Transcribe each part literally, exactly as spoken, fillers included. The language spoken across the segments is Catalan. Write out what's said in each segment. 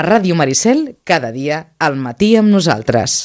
A Ràdio Maricel, cada dia al matí amb nosaltres.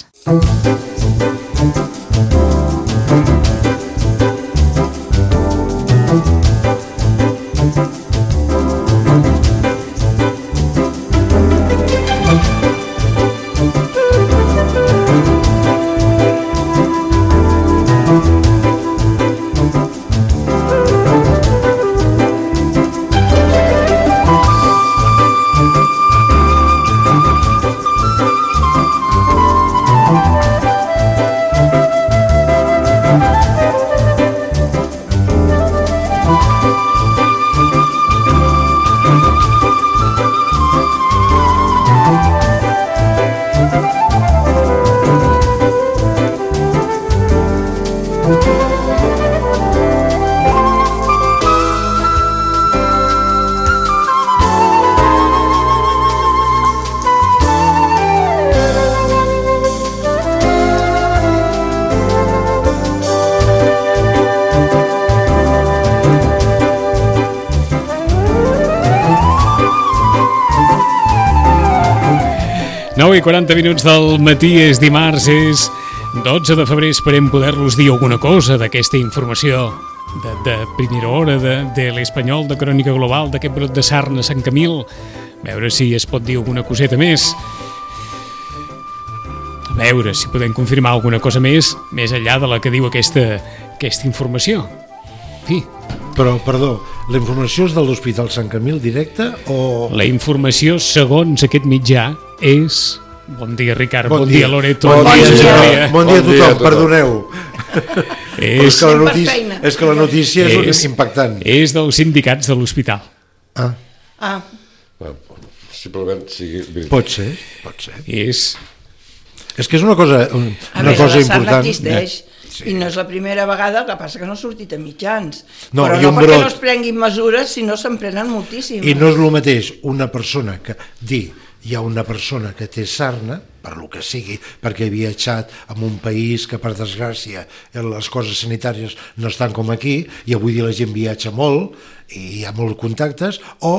nou i quaranta minuts del matí, és dimarts, és dotze de febrer. Esperem poder-los dir alguna cosa d'aquesta informació de, de primera hora, de, de l'Espanyol, de Crònica Global, d'aquest brot de sarna a Sant Camil. A veure si es pot dir alguna coseta més. A veure si podem confirmar alguna cosa més, més enllà de la que diu aquesta, aquesta informació. En fi. Però, perdó, la informació és de l'Hospital Sant Camil directe o...? La informació, segons aquest mitjà, és... Bon dia, Ricard, bon, bon dia, dia Loreto. Bon, bon, dia, dia. Bon, dia. bon dia a tothom, tothom. Perdoneu. és, és, que la notícia, és que la notícia és, és impactant. És dels sindicats de l'hospital. Ah. Ah. Possiblement sigui... Pot ser, pot ser. És... És que és una cosa, una a cosa més, important. Existeix. Sí. I no és la primera vegada, el que passa que no ha sortit a mitjans. No, però no perquè brot. no es prenguin mesures, sinó se'n prenen moltíssimes. I no és el mateix una persona que dir hi ha una persona que té sarna, per lo que sigui, perquè ha viatjat en un país que, per desgràcia, les coses sanitàries no estan com aquí, i avui dia la gent viatja molt, i hi ha molts contactes, o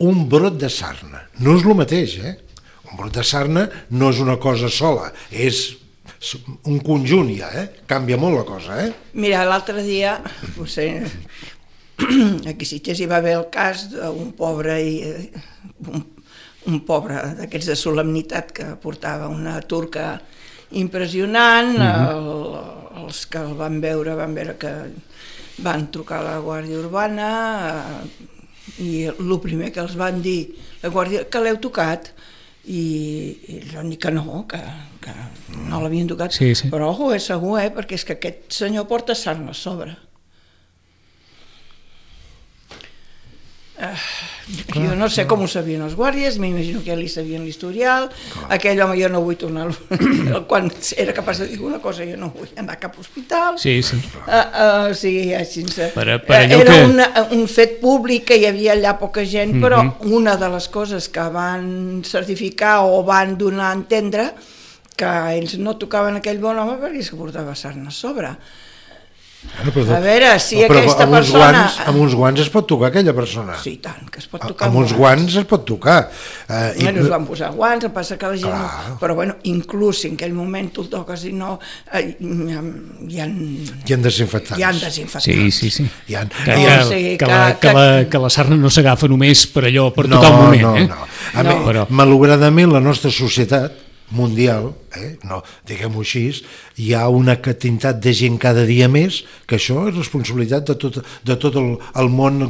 un brot de sarna. No és el mateix, eh? Un brot de sarna no és una cosa sola, és... un conjunt ja, eh? Canvia molt la cosa, eh? Mira, l'altre dia, no sé, aquí a Sitges hi va haver el cas d'un pobre, un, un pobre d'aquests de solemnitat que portava una turca impressionant, mm-hmm. el, els que el van veure van veure que van trucar a la Guàrdia Urbana i el primer que els van dir, la Guàrdia, que l'heu tocat? I, i els van dir que no, que, que no l'havien tocat, sí, sí. Però ojo, és segur, eh, perquè és que aquest senyor porta sarna a sobre. Uh, jo no sé com ho sabien els guàrdies, m'imagino que ja li sabien l'historial. Aquell home jo no vull tornar quan era capaç de dir una cosa jo no vull anar a cap hospital. Sí, sí. Uh, uh, o sigui, sense... per, per uh, era que... una, un fet públic que hi havia allà poca gent, mm-hmm. Però una de les coses que van certificar o van donar a entendre que ells no tocaven aquell bon home perquè és que portava sarna a sobre. Bueno, però, a veure, si no, aquesta amb persona... Guants, amb uns guants es pot tocar aquella persona. Sí, tant, que es pot tocar amb uns guants es pot tocar. Uh, I... Bueno, es van posar guants, em passa que la gent... No... Però bueno, inclús si en aquell moment tu el toques i no... Uh, hi ha... Hi ha desinfectants. Hi ha desinfectants. Sí, sí, sí. Hi ha... Que, que, o sigui, que, que, la, que, la, que la sarna no s'agafa només per allò, per no, tocar un moment. No, eh? no, a no. Mi, però... malauradament la nostra societat mundial, eh, no, diguem-ho així, hi ha una quantitat de gent cada dia més, que això és responsabilitat de tot, de tot el, el món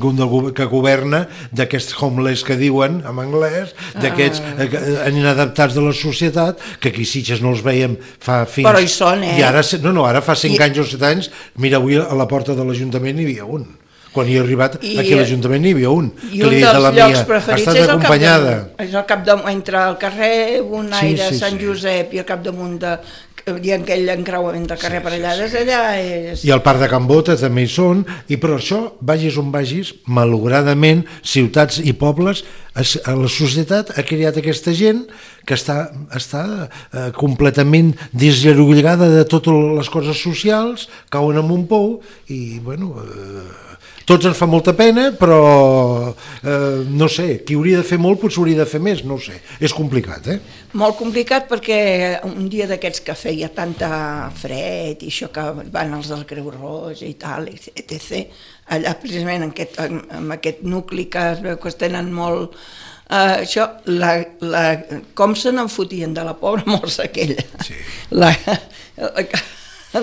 que governa, d'aquests homeless que diuen en anglès, d'aquests ah. inadaptats de la societat, que aquí Sitges no els veiem fa fins... Però hi són, eh? I ara, no, no, ara fa cinc I... anys o set anys, mira, avui a la porta de l'Ajuntament hi havia un. Quan hi he arribat, I, aquí a l'Ajuntament n'hi havia un. I un dels la llocs mia, preferits és el capdamunt. És el capdamunt, entre el carrer Bonaire, sí, sí, Sant sí. Josep i el capdamunt de... i aquell encreuament de carrer sí, per allà, des d'allà és... I el Parc de Can Bota també hi són, i per això, vagis on vagis, malauradament, ciutats i pobles, la societat ha creat aquesta gent que està, està eh, completament desllorugada de totes les coses socials, cauen en un pou, i, bueno... Eh, tots ens fa molta pena, però eh, no sé, qui hauria de fer molt potser hauria de fer més, no ho sé, és complicat, eh? Molt complicat perquè un dia d'aquests que feia tanta fred i això que van els del Creu Roja i tal, etcètera, allà precisament en aquest, en, en aquest nucli que es veu que es tenen molt... Uh, això, la, la, com se n'en fotien de la pobra morsa aquella, sí. la, la,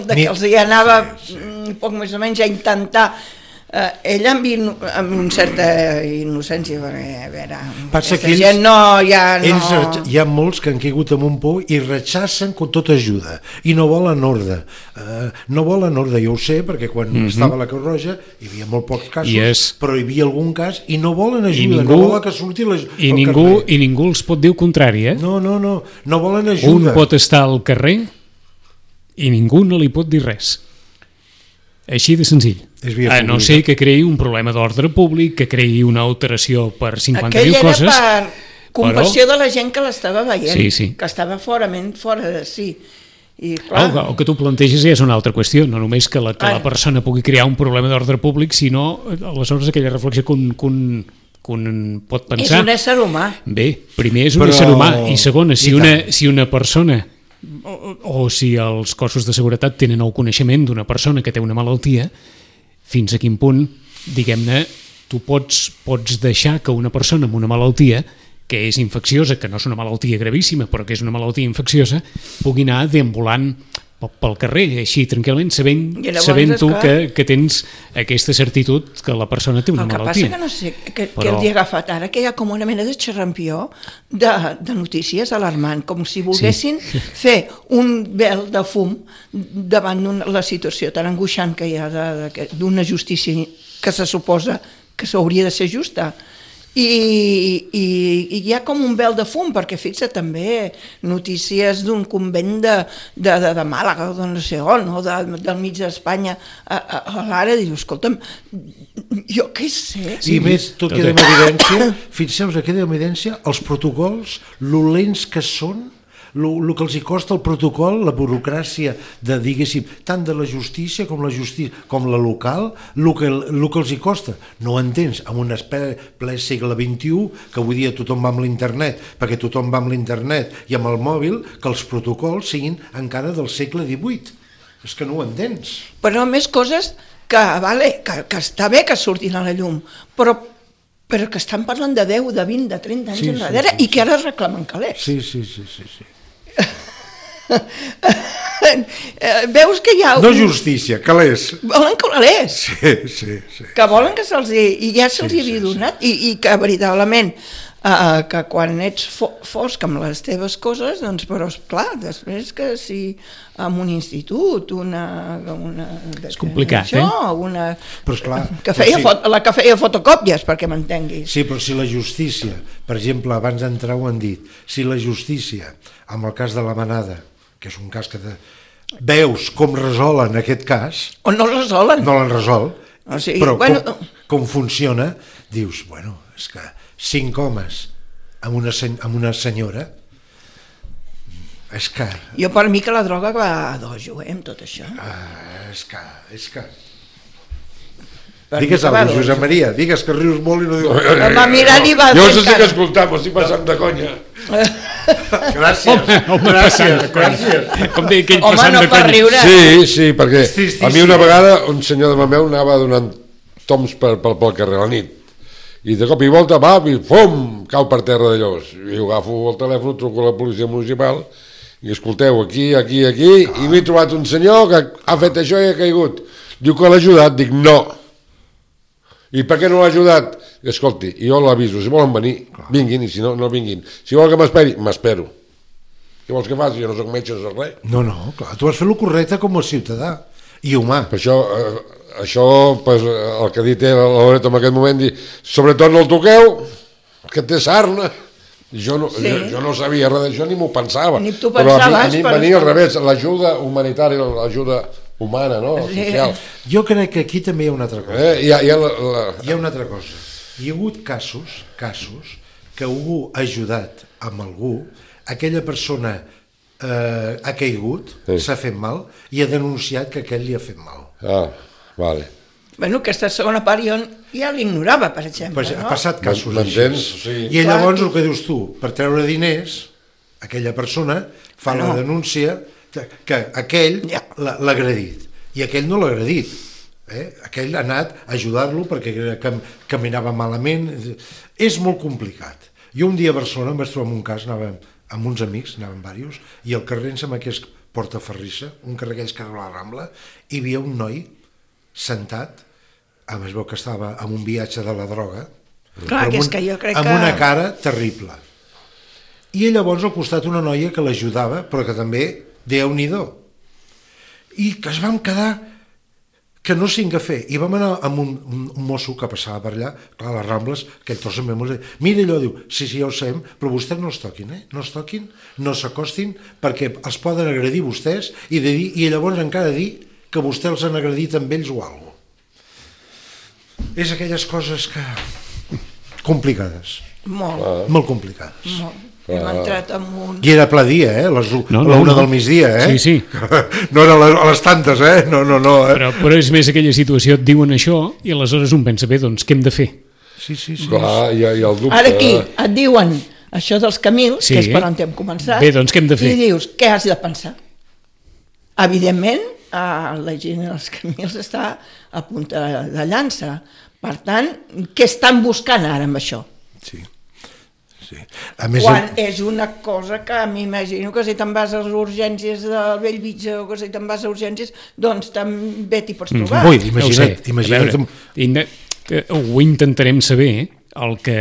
de que els hi anava sí, sí. poc més o menys a intentar uh, ella amb, in, amb una certa innocència, perquè a veure, passa aquesta ells, gent no, ja no... Ells, hi ha molts que han caigut amb un por i rechacen con tota ajuda i no volen ordre, uh, no volen ordre, jo ho sé, perquè quan mm-hmm. estava a la Creu Roja hi havia molt pocs casos, és... però hi havia algun cas i no volen ajuda, ningú, no volen que surti la, i ningú, i ningú els pot dir el contrari, eh? No, no, no, no volen ajuda. Un pot estar al carrer i ningú no li pot dir res. Així de senzill. A no ser que creï un problema d'ordre públic, que creï una alteració per cinquanta mil coses... Aquell era per compassió però... de la gent que l'estava veient, sí, sí. que estava forament fora de si. I, clar... el, el que tu planteges és una altra qüestió, no només que la, que la persona pugui crear un problema d'ordre públic, sinó aleshores aquella reflexió que un, que un, que un pot pensar... És un ésser humà. Bé, primer és un però... ésser humà, i segona, si una, si una persona... O, o si els cossos de seguretat tenen el coneixement d'una persona que té una malaltia, fins a quin punt, diguem-ne, tu pots, pots deixar que una persona amb una malaltia que és infecciosa, que no és una malaltia gravíssima, però que és una malaltia infecciosa, pugui anar deambulant pel carrer, així tranquil·lament, sabent, sabent tu que, que tens aquesta certitud que la persona té una malaltia. El que passa que no sé que, però... que els hi ha agafat ara, que hi ha com una mena de xerrampió de, de notícies alarmant, com si volguessin sí. fer un vel de fum davant de la situació tan angoixant que hi ha d'una justícia que se suposa que s'hauria de ser justa. I, i, i hi ha com un vel de fum, perquè fixa també notícies d'un convent de, de, de, de Màlaga o de no sé on, o de, del mig d'Espanya a, a, a l'ara, dius, escolta'm, jo què sé. I més, tot queda en evidència, fixeu-vos que queda en evidència els protocols, lo lents que són, el que els hi costa el protocol, la burocràcia de, diguéssim, tant de la justícia com la justícia, com la local, el que, el que els hi costa. No ho entens, en un ple segle vint-i-u, que avui dia tothom va amb l'internet, perquè tothom va amb l'internet i amb el mòbil, que els protocols siguin encara del segle divuit. És que no ho entens. Però més coses que, vale, que, que està bé que surtin a la llum, però però que estan parlant de deu, de vint, de trenta anys sí, enrere sí, sí, i que ara reclamen calés. Sí, sí, sí, sí, sí. Veus que hi ha... No justícia, calés. Volen calés. Sí, sí, sí. Que volen que se'ls hi... I ja se'ls sí, hi havia sí, donat. Sí. I, I que veritablement uh, que quan ets fo fosc amb les teves coses, doncs, però esclar, després que si en un institut, una... una és complicat, això, eh? Una, però esclar, que feia sí. fot, la que feia fotocòpies, perquè m'entenguis. Sí, però si la justícia, per exemple, abans d'entrar ho han dit, si la justícia, amb el cas de la Manada, que és un cas que de... veus com resolen aquest cas... O no resolen. No l'han resolt, o sigui, però bueno... com, com funciona, dius, bueno, és que cinc homes amb una, amb una senyora, és que... Jo per mi que la droga va a dojo, eh, amb tot això. Uh, és que... És que... Per digues alguna cosa, Josep Maria, digues que rius molt i no dius... No, va mirar i va... Jo no sé què escoltar, m'ho estic passant de conya. Gràcies, home, home, gràcies, gràcies. Com deia aquell home, passant no de conya. riure. Sí, sí, perquè sí, sí, a mi una sí. vegada un senyor de Mameu anava donant toms per, per, pel carrer a la nit i de cop i volta va i fum, cau per terra de llavors. I jo agafo el telèfon, truco a la policia municipal i escolteu, aquí, aquí, aquí, ah. i m'he trobat un senyor que ha fet això i ha caigut. Diu que l'ha ajudat, dic no. I per què no l'ha ajudat? Escolti, jo l'aviso, si volen venir, vinguin, i si no, no vinguin. Si volen que m'esperi, m'espero. Què vols que faci? Jo no soc metge, no soc res. No, no, clar, tu has fet el correcte com a ciutadà i humà. Per això, eh, això pues, el que ha dit la Loreto en aquest moment, dir, sobretot no el toqueu, que té sarna. Jo no, sí. jo, jo no sabia res d'això, ni m'ho pensava. Ni tu pensaves. Però a mi, a mi per... venia al revés, l'ajuda humanitària, l'ajuda humana, no? Sí. Social. Jo crec que aquí també hi ha una altra cosa. Eh? Hi ha, hi ha, la, la... hi ha una altra cosa. Hi ha hagut casos, casos que algú ha ajudat amb algú, aquella persona eh, ha caigut, s'ha sí. fet mal i ha denunciat que aquell li ha fet mal. Ah, vale. Bueno, aquesta segona part jo ja l'ignorava, per exemple. Pues, no? Ha passat casos M'entens? així. Sí. I llavors Clar, el que dius tu, per treure diners, aquella persona fa Ah, no. la denúncia que aquell Ja. l'ha l'ha agredit. I aquell no l'ha agredit. Eh? Aquell ha anat a ajudar-lo perquè cam caminava malament. És molt complicat. Jo un dia a Barcelona em vaig trobar en un cas, anàvem amb uns amics, anàvem diversos, i al carrer em sembla que és Portaferrissa, un carrer aquells que a la Rambla, hi havia un noi sentat, a més veu que estava en un viatge de la droga, Clar, però que amb és que jo crec amb que... una cara terrible. I llavors al costat una noia que l'ajudava, però que també, Déu-n'hi-do. I que es vam quedar que no sé què fer. I vam anar amb un, un mosso que passava per allà, clar, a les Rambles, aquell tros en memòria, mira allò, diu, sí, sí, ja ho sabem, però vostès no es toquin, eh? No es toquin, no s'acostin, perquè els poden agredir vostès i, de dir, i llavors encara dir que vostès els han agredit amb ells o alguna cosa. És aquelles coses que... complicades. Molt, Ah. Molt complicades. molt. Hem entrat en un... I era ple dia, eh? A les u- No, a no, la una no. del migdia, eh? Sí, sí. No era a les, a les tantes, eh? No, no, no. Eh? Però, però és més aquella situació, et diuen això i aleshores un pensa, bé, doncs què hem de fer? Sí, sí, sí. Clar, hi ha, hi ha el dubte. Ara aquí et diuen això dels camils, Sí. que és per on hem començat, Bé, doncs què hem de fer? i dius, què has de pensar? Evidentment, eh, la gent dels camils està a punta de llança. Per tant, què estan buscant ara amb això? Sí. Sí. A més, Quan és una cosa que m'imagino que si te'n vas a les urgències del Bellvitge o que si te'n vas a urgències, doncs també t'hi pots trobar. Ui, Ja ho imagina't, sé. imagina't. A veure, inde- eh, ho intentarem saber, el que...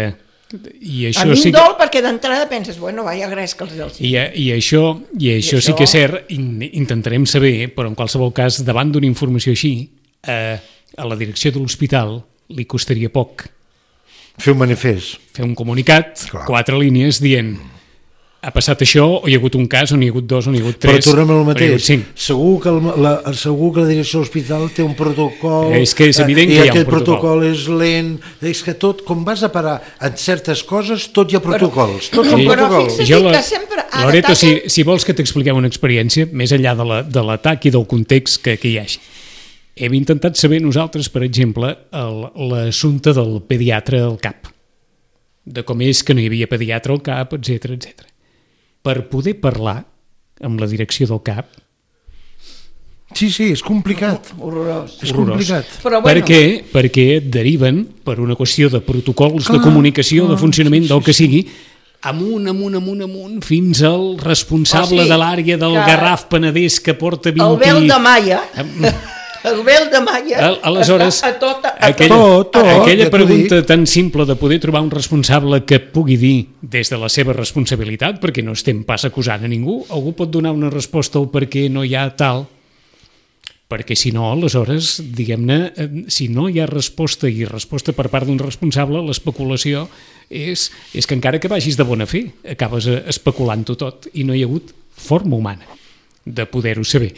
I A això mi sí em que... dol perquè d'entrada penses, bueno, vaya gres que els dels... I, i això, i això I sí això- que és cert, in, intentarem saber, però en qualsevol cas, davant d'una informació així, eh, a la direcció de l'hospital li costaria poc fer un manifest. fer un comunicat, Clar. quatre línies, dient ha passat això, o hi ha hagut un cas, o n'hi ha hagut dos, o n'hi ha hagut tres, Però tornem al o n'hi ha hagut mateix. cinc. Segur que, el, la, segur que la direcció de l'hospital té un protocol... És que és evident eh, que hi ha i un aquest protocol. protocol és lent... És que tot, com vas a parar en certes coses, tot hi ha protocols. Tot Sí. són Però protocols. fixa't Jo la- que sempre ara Loreto, si, ataquen- si vols que t'expliquem una experiència, més enllà de la- de l'atac i del context que, que hi hagi, hem intentat saber nosaltres, per exemple, el- l'assumpte del pediatre al CAP, de com és que no hi havia pediatre al CAP, etcètera, etcètera. Per poder parlar amb la direcció del CAP, Sí, sí, és complicat. Horrorós. És Horrorós. complicat. Però per bueno, què? Perquè et deriven, per una qüestió de protocols de Clar, comunicació, de clar, funcionament, sí, sí, del que sí. sigui, amunt, amunt, amunt, amunt, fins al responsable O sigui, de l'àrea del que Garraf Penedès que porta vint... el vel de Maia, el vel de Maia Al- aleshores, està a tota... A aquella, tot, tot, aquella ja t'ho pregunta tan simple de poder trobar un responsable que pugui dir des de la seva responsabilitat, perquè no estem pas acusant a ningú, algú pot donar una resposta al per què no hi ha tal, perquè si no, aleshores, diguem-ne, eh, si no hi ha resposta i resposta per part d'un responsable, l'especulació és, és que encara que vagis de bona fe, acabes eh, especulant-ho tot i no hi ha hagut forma humana de poder-ho saber.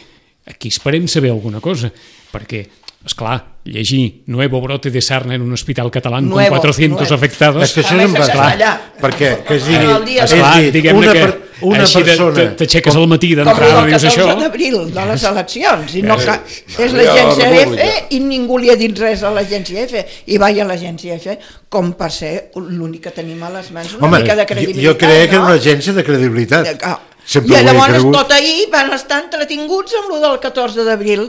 Aquí esperem saber alguna cosa, perquè, esclar, llegir Nuevo brote de sarna en un hospital català con Nuevo, cuatrocientos nuevo. afectados... És que això A és més, en base. castellà. Perquè que es digui... El dia és de- Esclar, dir, diguem-ne una, que per, una així de- persona... te- t'aixeques al matí Com d'entrada el dius això... catorze d'abril de les eleccions, i no Eh, ca... és ja l'agència la F República. i ningú li ha dit res a l'agència F, i vaja l'agència F, com per ser l'únic que tenim a les mans, una Home, mica de jo, credibilitat, jo creia que era no? una agència de credibilitat. Ah, Sempre I ho he llavors cregut. tot ahir van estar entretinguts amb lo del catorze d'abril.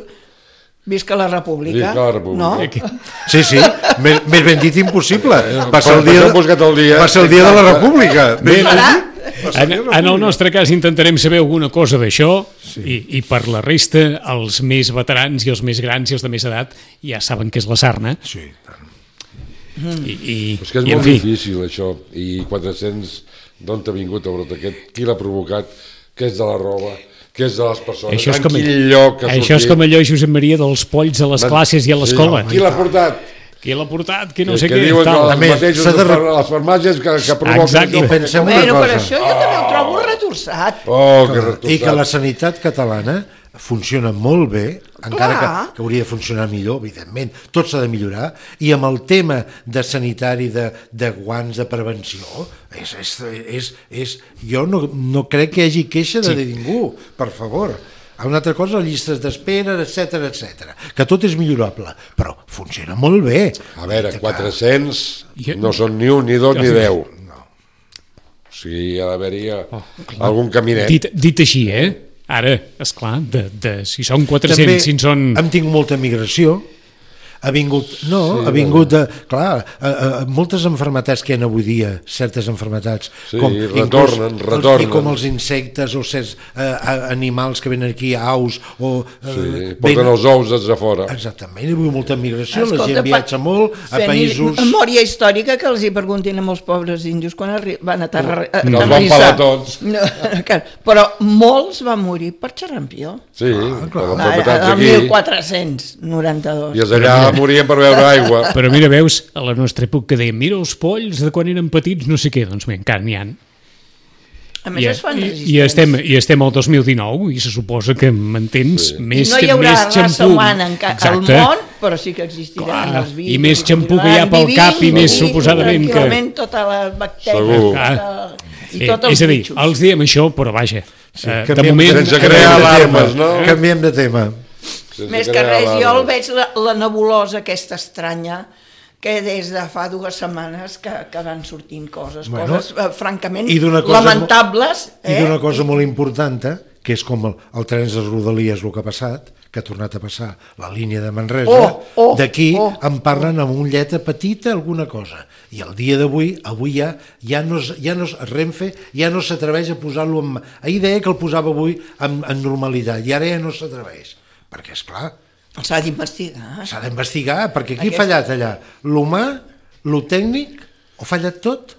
Visca la República. Visca la República. No? Sí, sí, més, més ben dit impossible. Va ser el per dia, això hem buscat el dia. va ser el dia de la República. Bé, Ben Farà? dit. En, en el nostre cas intentarem saber alguna cosa d'això sí. i, i per la resta els més veterans i els més grans i els de més edat ja saben què és la sarna Sí, tant. i, i, És que és i en molt fi, difícil això, i quatre-cents d'on ha vingut el brot aquest, qui l'ha provocat, què és de la roba, què és de les persones, això és en com, quin lloc ha això és sortit. com allò, Josep Maria, dels polls a les Man- classes i a l'escola. Sí, qui l'ha portat? Qui l'ha portat, qui no que, sé que què, diuen tal. que A els més, mateixos s'ha de de... re- les farmàcies que, que provoquen... Exacte. I pensem una Bueno, per cosa. això jo també ho trobo retorçat. Oh, que I retorçat. que la sanitat catalana funciona molt bé, encara que, Clar. que hauria de funcionar millor, evidentment, tot s'ha de millorar, i amb el tema de sanitari, de, de guants, de prevenció, és, és, és, és, jo no, no crec que hi hagi queixa de Sí. ningú, per favor. Una altra cosa, llistes d'espera, etcètera, etcètera, que tot és millorable, però funciona molt bé. A veure, quatre-cents no són ni un, ni dos, ni deu. No. O sigui, hi ha d'haver-hi algun caminet. Dit, dit així, eh? Ara, esclar, de, de, si són quatre-cents, També si en són... hem tingut molta migració. Ha vingut, no, sí, ha vingut, de, clar, a, a, moltes enfermetats que hi ha avui dia, certes enfermetats, sí, com, retornen, inclús, retornen. Els, com els insectes o certs eh, animals que venen aquí, aus, o... Eh, Sí, venen, porten els ous des de fora. exactament, hi ha hagut molta migració, Escolta, la gent viatja molt a països... Memòria històrica que els hi preguntin a molts pobres índios quan arri... van a Terra... a No els van aterrissar. pelar tots. No, que- però molts van morir per xarampió. Sí, per El enfermetats aquí. mil quatre-cents noranta-dos. I els allà morien per beure aigua. Però mira, veus, a la nostra època dèiem, mira els polls de quan eren petits, no sé què, doncs bé, encara n'hi ha. A més, I, es fan i, resistents. i, estem, I estem al dos mil dinou i se suposa que m'entens, Sí. més, I no hi haurà més raça xampú. humana en ca- al Exacte. món, però sí que existiran Clar, els virus. i més xampú que hi ha continuaran pel cap i vivint, més i suposadament que- tranquil·lament tota la bactèria. Segur. Tota, I Eh, tots els és a dir, bitxos. els diem això, però vaja, Sí, eh, de canviem- moment... sense canviem crear de alarmes, tema, no? Canviem de tema. Sense Més que crear res, jo el alarmes. veig la, la nebulosa aquesta estranya que des de fa dues setmanes que, que van sortint coses, Bueno, coses eh, francament i d'una cosa lamentables. I Eh? d'una cosa molt important, eh, que és com el, el tren de Rodalies, el que ha passat, que ha tornat a passar la línia de Manresa, Oh, oh, d'aquí oh, en parlen amb un lletra petita alguna cosa. I el dia d'avui, avui ja, ja no, es- ja no es, Renfe ja no s'atreveix a posar-lo en... Ahir deia que el posava avui en, en normalitat, i ara ja no s'atreveix. Perquè, és clar, S'ha d'investigar. s'ha d'investigar, perquè qui Aquesta- ha fallat allà? L'humà, lo tècnic, o ha fallat tot?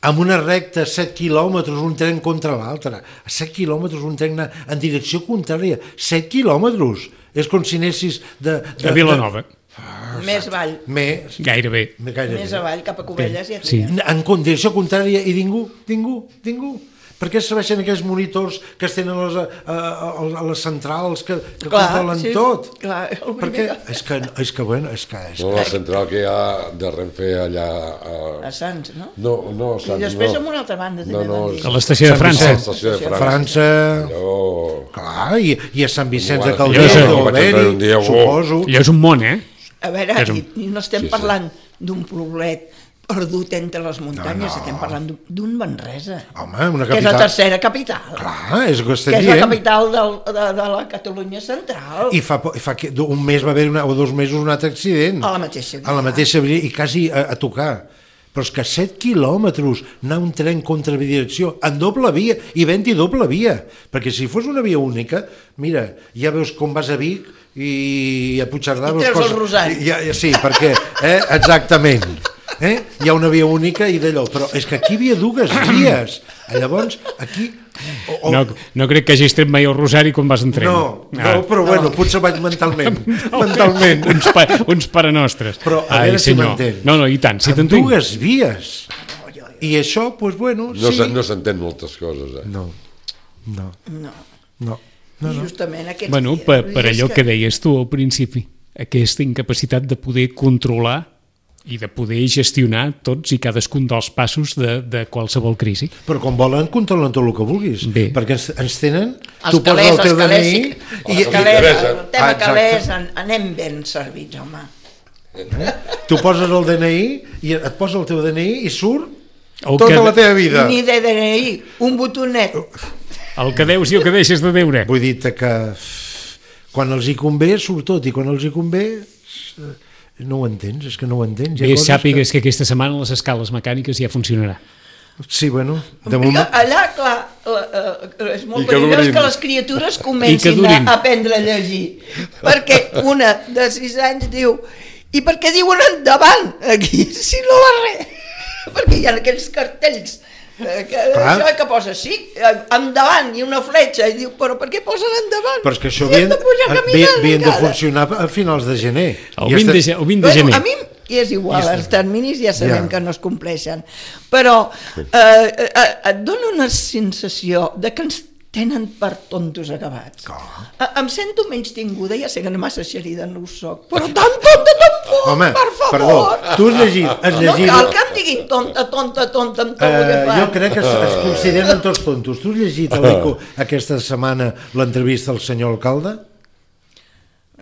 Amb una recta a set quilòmetres un tren contra l'altre, a set quilòmetres un tren en direcció contrària, set quilòmetres, és com si anessis de... de A Vilanova, De, Més avall. més, gairebé. gairebé. Més avall, cap a Cubelles ja Sí. tria. En direcció contrària i ningú, ningú, ningú. Per què serveixen aquells monitors que es tenen a les, a, a, a les centrals que, que controlen sí, tot? clar, el Perquè primer és que, és que, bueno, és que... És No, que la central que hi ha de Renfe allà... A... a Sants, no? No, no, a Sants, I després no. amb una altra banda No, també no, van dir. A l'estació de Sant França. Vicenç. L'estació de França. França, Allò... clar, i, i a Sant Vicenç de Jo Calders, sé, o vaig entrar un dia, Beri, oh. suposo. Allò és un món, eh? A veure, És un- i, i no estem Sí, sí. parlant d'un poblet perdut entre les muntanyes, No, no. estem parlant d'un- d'un Manresa, Home, una que és la capital... tercera capital, Clar, és el que que estem és la dient. capital del, de, de la Catalunya central. I fa, po- fa que un mes va haver una, o dos mesos un altre accident. A la mateixa via. A la mateixa via, i quasi a, a tocar. Però és que set quilòmetres anar un tren contra direcció en doble via, i vent-hi doble via, perquè si fos una via única, mira, ja veus com vas a Vic i a Puigcerdà... I veus treus el coses- rosari. Ja, ja, sí, perquè, eh, exactament. Eh? Hi ha una via única i d'allò, però és que aquí hi havia dues vies. Llavors, aquí... O, o, No, no crec que hagis tret mai el rosari quan vas en tren. no, no, Ah. però bueno, potser vaig mentalment. mentalment. Uns, pa, uns paranostres. Però a Ai, veure si senyor. m'entens. No, no, i tant, si Amb t'entenc. dues vies. I això, doncs bueno, No sí. se- no s'entén moltes coses, eh? No, no, No. no. No, no. Justament aquests Bueno, dies. per, Vull per dir, és allò que deies tu al principi, aquesta incapacitat de poder controlar i de poder gestionar tots i cadascun dels passos de, de qualsevol crisi. Però com volen, controlen tot el que vulguis. Bé. Perquè ens, ens tenen... Els calés, els calés, sí. i, els calés, interessa. el tema Ah, exacte. calés, en, anem ben servits, home. tu poses el D N I i et posa el teu D N I i surt El tota que- la teva vida. Ni de D N I, un botonet. El que deus i el que deixes de deure. Vull dir-te que quan els hi convé surt tot i quan els hi convé eh, no ho entens, és que no ho entens. Hi ha Bé, coses sàpigues que aquesta setmana les escales mecàniques ja funcionarà. Sí, bueno, de Perquè moment... allà, clar, la, uh, és I molt que perillós durin. que les criatures I que comencin a durin. aprendre a llegir. Perquè una de sis anys diu i per què diuen endavant aquí, si no va res? Perquè hi ha aquells cartells eh, que, Clar. això que posa sí, eh, endavant i una fletxa i diu, però per què posen endavant? Però és que això Si hem havien, de pujar havien, caminant havien de encara. funcionar a finals de gener. El I vint de, este- ge- el vint de Bueno, gener. a mi és igual, I els terminis ja sabem Ja. que no es compleixen, però eh, eh, et dona una sensació de que ens tenen per tontos acabats. A, em sento menys tinguda, ja sé que no massa xerida no ho soc, però tan tonta tampoc, Home, per favor. perdó, tu has llegit... Has llegit... No cal que em diguin tonta, tonta, tonta, amb tot el que Uh, fan. jo crec que es, es consideren tots tontos. Tu has llegit a l'Eco aquesta setmana l'entrevista al senyor alcalde?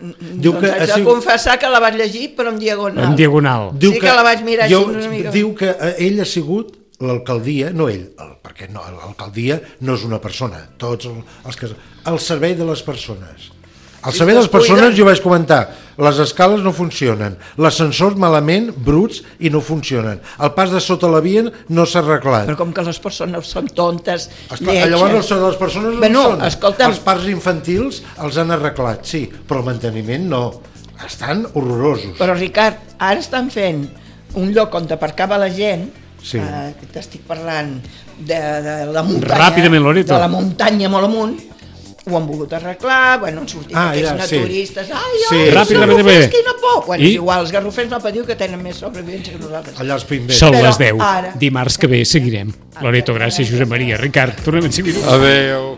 Diu doncs que haig de sigut... confessar que la vaig llegir, però en diagonal. En diagonal. Diu sí que, que la vaig mirar jo, així una mica. Diu que ell ha sigut l'alcaldia, no ell, el, perquè no, l'alcaldia no és una persona, tots els que... al servei de les persones. Al Si servei de les persones cuiden... jo vaig comentar, les escales no funcionen, l'ascensor malament, bruts, i no funcionen. El pas de sota la via no s'ha arreglat. Però com que les persones són tontes, Esclar, lletges... llavors les persones no bueno, són. Escolta'm... Els parcs infantils els han arreglat, sí, però el manteniment no. Estan horrorosos. Però Ricard, ara estan fent un lloc on aparcava la gent, sí. eh, t'estic parlant de, de la muntanya, Ràpidament, Loreto. de la muntanya molt amunt, ho han volgut arreglar, bueno, han sortit Ah, aquests ja, naturistes, sí. ai, Sí. ai, els Ràpidament, garrofers, bé. quina por! Bueno, I? és igual, els garrofers no patiu que tenen més sobrevivència que nosaltres. Allà els pimbers. Són Però les deu. ara- Dimarts que ve seguirem. Loreto, gràcies, Josep Maria. Ricard, tornem en cinc minuts. Adéu.